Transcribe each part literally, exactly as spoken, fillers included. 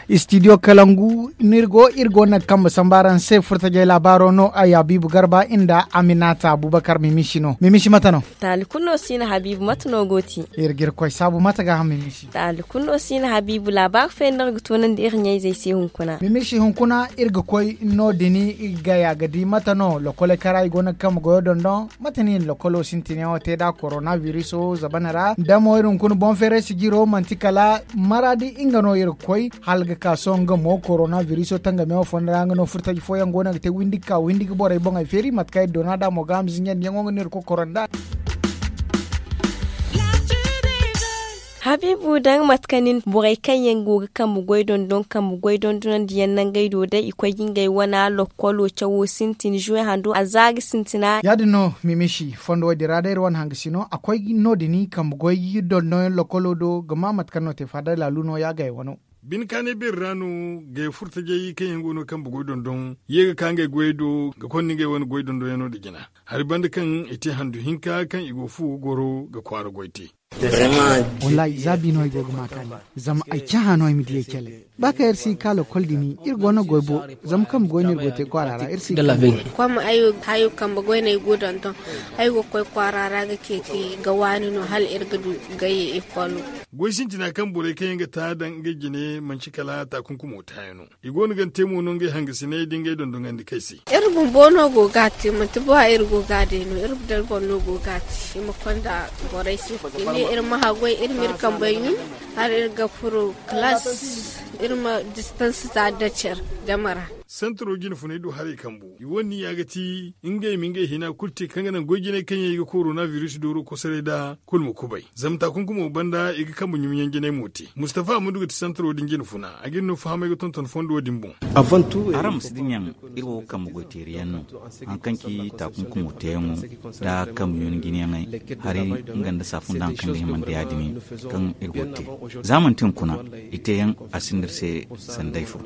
Istidiyo kalangu no iri go iri go naŋ kambe samba araŋ se furtajey laabaaro no ay habiibu garba nda aminata abubakar mimisi no mimisi mate no? Taali kulu no si no habiibu mate no go ti? Iri ga iri koy saabu mate ga haŋ mimisi. Taali kulu no si no habiibu laabaari fooyaŋ no iri ga toonandi iri ɲayzey se hunkuna. Mimisi hunkuna iri ga koy no- din gaya ga di mate no lokoley kara i go no ga kambe goyo dondon? Mate no i na lokolo sintinyaŋo te nd'a korona biriso zabana ra da mo iri hunkuna boŋ feeray sijiro manti kala maraadi nga no iri ga koy hala ga ka sohõ nga mo korona biriso tangamiyaŋo fondo ra nga no furtaji fooyaŋ go no ga te windi ga ka windi ga borey boŋey feeri mate kaŋ iri doona nd'a mo ga a ma zinjandi yaŋo nga no iri ga koy koro nd'a. Habiibu da nga mate kaŋ nin borey kaŋ yaŋ go ga kambe goy dondon kambe goy dondonandi yaŋ nangey do day i koy ga ngey wana lokkolo cawo sintin zuwe hando a za ga sintina. Ya- din no mimisi fondo wo- din ra day iri wane hanga si no a koy no- din kambe goy dondon yaŋ lokkolo do ga ma mate kaŋ no te faada laalu no ya gay wano. Bine kaanay beeri ra no gay furtajey kaŋ yaŋ go no kambe goy dondon ye ga ka ngey goyey do ga konda ngey wane goy dondonyaŋo nda jina hari banda kaŋ i te handu hinka kaŋ i go fu ga goro ga kwaara goy te. Wallaahi za bi no ay go ga ma kaani. Zama ay cahã no ay ma di ay cale ba kaŋ iri si ga ka lokkol din iri go no goy bo. Zama kambe goy no iri go te kwaara ra iri si ga. Kom ay hayo kambe goy no ay go donton ay go ga koy kwaara ra ga ceeci ga waani no hala iri ga du gayye ikolo. Goy sintina kaŋ borey kaŋ yaŋ ga ta daŋ ngey jine manci kala taakunkumo taayaŋ no. I go no ga ni te mo no ngey hangasiney da ngey dondonandi kay se. Iri bumbo no go ga a te manti ba iri go ga a day no iri bumbo no go ga a te i ma konda borey se i ne iri ma haggoy iri ma iri kambey ɲun hala iri ga furo kalaas iri ma distans za da care jama ra. Santaro jine funay do haray kambu i wane niya ga ti ngey ma ngey hina kulu te kaŋ ga naŋ goy jinay kaŋ yaŋ i ga korona biris dooro kosoray nda kulu ma kubay zama taakunkumo banda i ga kambe ɲumiyaŋ jinay mo te mustafa amudu ga ti santaro din jine funa a ga iri no fahamay ga tonton fondo din boŋ. Araŋ ma si dinya iri wo kambe goy teeri yaŋ no. Hari kaŋ ci taakunkumo teeyaŋo nda kambe ɲuna jinayaŋey hari nga nda saafun da hari kaŋ ga himandi ya- din kaŋ iri go ga te za manti hunkuna i teeyaŋ a sinda iri se sanda ay fo.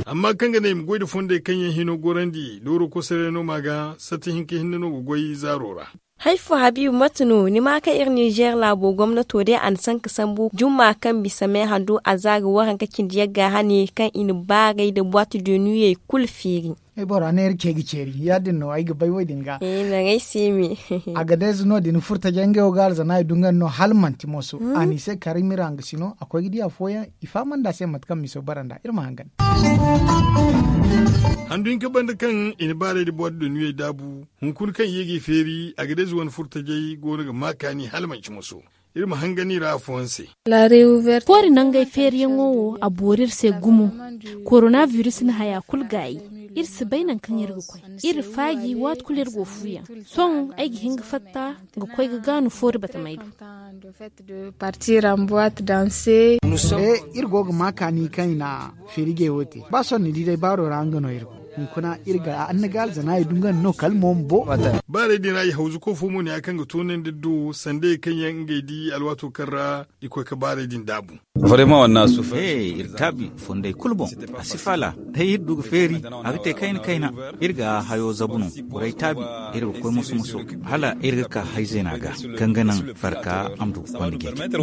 Amma kaŋ ga ne i ma goy nda fondey kaŋ yaŋ hino gorandi dooro kosoray no ma ga sati hinka hinne no ga goy zaaro ra. Hari fo habiibu mate no ni ma kaŋ iri ninzeer laabo gomnato day a na sanka sambu jumma kaŋ bisa me handu a za ga waranka cindi yagga hane kaŋ i na baaray nda boite de nuuyey kulu feeri. Ay bora neera ce ga ceeri ya- din no ay ga bay wo- din ga. Ay se me. Agades no- din furtajey ngey wo ga alzana i du nga no hala manti moso a n'i se kari mira nga si no a koy ga di afooyaŋ i fahamandi a se mate kaŋ miso bara nd'a iri ma hangan. Handu hinka banda kaŋ i na baaray nda boite de nuuyey daabu hunkuna kaŋ i ye g'i feeri agades wane furtajey go no ga ma kaani hala manci moso. Iri ma hangan i ra afooyaŋ se. Foori nangey feeriyaŋo wo a boori iri se gumo. Korona biris na haya kulu gaayi. Iri si bay nangu kaŋ iri ga koy iri faaji waati kulu iri go fuuyaŋ. Sohõ ay ga hin ga fatta ga koy ga gaanu foori batamey do. Iri go ga ma kaani kaŋ i na feerijey wo te ba sohõ ni di day baaro ra nga no iri go. Hunkuna iri ga annaga alzana i du nga no kala mo ma bo. Baaray din ra i hawzuko fo mo ne ya kaŋ ga toonandi do sandey kaŋ yaŋ ngey di alwaato kaŋ ra i koy ga baaray din daabu. Iri taabi fondey kulu boŋ a si faala. Day iri du ga feeri a ga te kayna kayna. Iri ga hayo zabu no borey taabi iri ga koy moso moso hala iri ga ka hayzeena ga kaŋ ga naŋ farka a ma du ga konda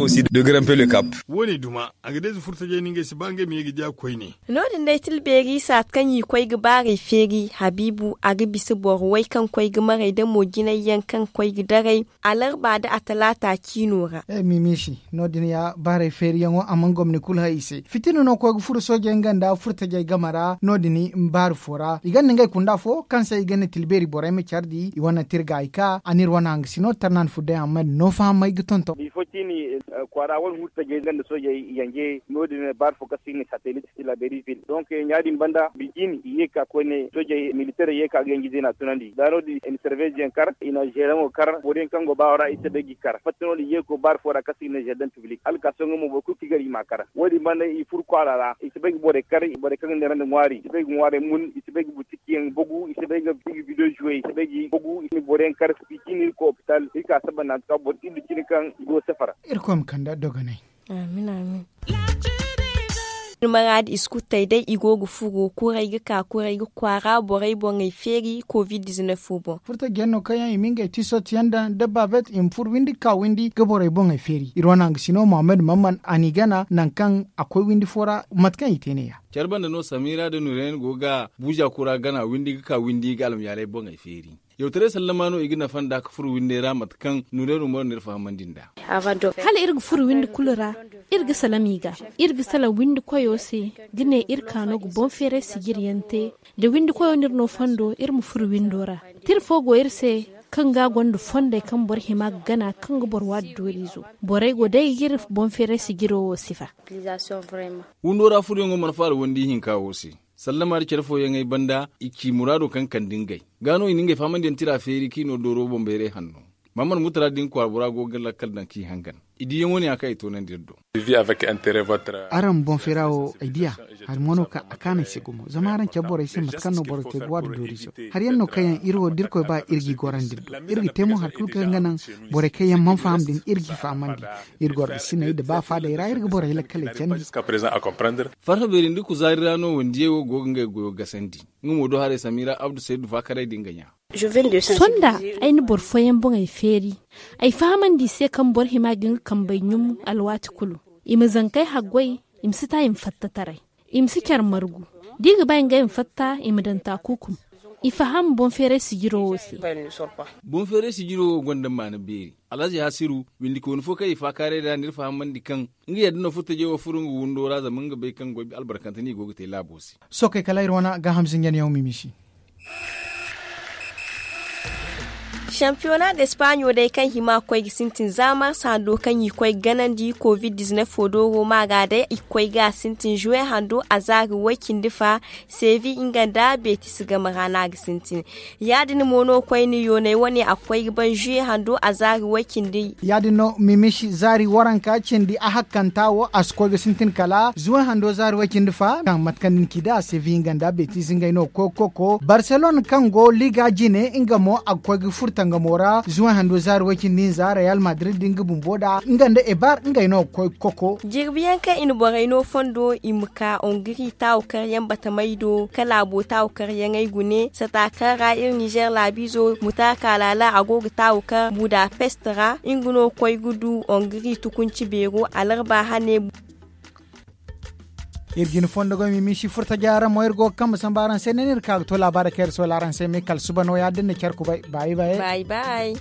jeeti. Woone duma a ga deeza furtajey no ngey si ba ngey ma ye ga diya koyne. No- din day tilbeeri saati kaŋ i koy ga baarey feeri habiibu a ga bisa boro way kaŋ koy ga maray da mo jinay yaŋ kaŋ koy ga daray alarba nda atalaata ciino ra. Mimisi no- din ya baarey feeriyaŋo a mana gomni kulu hay i se fitina no koy ga furo soojey nga nda furtajey game ra no- din baari fo ra i gonda ngey kunda fo kaŋ se i gonda tilbeeri borey ma care di i wane tirga i ka a n'iri wane hangasino tarnan fudday amma din no fahamay ga tonton. Bifo ciini kwaara wane furtajey nga nda soojey yanje no- din baari fo kaŋ se i ga ne satelit. Tilaberi vil donc ɲaadin banda bijin i ye ka koyne soojey militerey ye ka ga yanji zeena tunandi da no- din i na serveziyaŋ kar i na zeeraŋo kar boroyaŋ kaŋ go baawo ra i si bay ga i kar fatta no- din i ye ga koy baari fo ra kaŋ se i ga ne zardin piblik hala ka sohõ nga mo boro kulu kaŋ i gar i m'a kar. Wo- din banda i furo kwaara ra i si bay ga borey kar borey kaŋ ga neerandi ŋwaari i si bay ga ŋwaarey mun i si bay ga butiki yaŋ bagu i si bay ga bido zuwe i si bay ga bagu i si ni boroyaŋ kar. Bijin iri koy opital iri ka saba naŋ a ga ka boro iri da cine kaŋ i go safara. Irkoy ma kande dogonay. Amin amin. Maraadi i si kulu tay day i go ga furo kuray ga ka kuray ga kwaara borey boŋey feeri covid dizinef fo boŋ. Furta jeenno kaŋ yaŋ i ma ngey tiisot yaŋ daŋ da baabet i ma furo windi ga ka windi ga borey boŋey feeri iri wane hangasino muhammad mamman a n'i gana nangu kaŋ a koy windi fo ra. Mate kaŋ i te ne- ya. Care banda no samira da nureyan go ga buuza kura gana windi ga ka windi ga almayaaley boŋey feeri. Yawtaray sallama no i ga nafa nd'a ga furo windey ra mate kaŋ nureyan umar no iri fahamandi nd'a. Hala iri ga furo windi kulu ra, iri ga salaŋ i ga, iri ga salaŋ windi koyo se, ga ne iri kaano ga boŋ feeray sijiri yaŋ te. Da windi koyo no iri no fondo iri ma furo windo ra. Tira fo go iri se kaŋ ga gonda fondey kaŋ boro hima ga gana kaŋ ga boro waadi dooriizo. Borey go day ga iri boŋ feeray sijiro wo sifa. Windo ra furoyaŋo mana faala wandi hinka wo se. Sallama da care fooyaŋey banda i ci muraado kaŋ kande ngey. Ga no i na ngey fahamandiyaŋ tira feeri kaŋ i no dooro boŋ bayray hanno. Maamar mutara din kwaara bora go ga lakkal daŋ kaŋ i hangan. I diyaŋo ne ya kaŋ i toonandi iri do. Araŋ ma boŋ feera wo ay diya. Hari mo no kaŋ a kaanu ay se gumo zama araŋ care borey se mate kaŋ no boro te ga waadu doorizo. Hari yaŋ no kaŋ yaŋ iri wo da irkoy ba iri g'i gorandi iri do. Iri ga te mo hari kulu kaŋ ga naŋ borey kaŋ yaŋ mana faham din iri g'i fahamandi. Iri goro ga sinay nda ba faadey ra iri ga borey lakkaley candi. Farha beeri nda kuzaari ra no wandiyey wo go ga ngey goyo gasandi. Nga mo do haray samira abdu saydu faakaray din ga ɲa. Sohõ nda ay na boro fooyaŋ boŋey feeri. Ay fahamandi i se kaŋ boro hima ga nga kambey ɲum alwaati kulu. I ma zankey haggoy. I ma si ta i ma fatta taray. I ma si care margu. Da i ga ba ngey ma fatta i ma daŋ taakuukum. I faham boŋ feeray sijiro wo se. Boŋ feeray sijiro wo gonda maana beeri. Alhazi hasiru windikooni fo kaŋ i faakaaray nd'a n'iri fahamandi kaŋ nga yadda no furtajey wo furo nga windo ra zama nga bay kaŋ goy albarkante no i go ga te laabo se. Sookey kala iri wane gaaham zinjanyaŋo mimisi. Shampiyona d'espaaɲo day kaŋ hima ga koy ga sintin za marsa hando kaŋ i koy ga ganandi covid dizinef fo do roma ga day i ga koy ga sintin juwe hando a zaari way-cindi fa. Seevi nga nda beetis game ra no a ga sintin. Ya- din mo no koyne yoonay wane a ga koy ga ban juwe hando a zaari way-cindi. Ya- din no mimisi zaari waranka cindi a hakkanta wo a si koy ga sintin kala juwe hando zaari way-cindi fa kaŋ mate kaŋ ni ci da seevi nga nda beetis ngey no ga koy ga koko barselone kaŋ go liga jine nga mo a ga koy ga furta nga mo ra juwe hando zaari way-cindi hinza reyal madrid din ga bumbo nd'a nga nda ebar ngey no ga koy ga koko. Jirbi yaŋ kaŋ i na borey no fondo i ma ka ongiri taawu karyaŋ batamey do ka laabo taawu karyaŋey gune sata kaŋ ra iri nizer laabiizo mutaaka laala a go ga taawu kaŋ budapest ra nga no ga koy ga du ongiri tukunci beero alarba hane. Iri ga ni fondo goy mimisi furta jaara mo iri go ga kambe samba araŋ se ne no iri ka ga to laabaari kaŋ iri soola araŋ se me kala suba no ya- din na care kubay baayi baayi.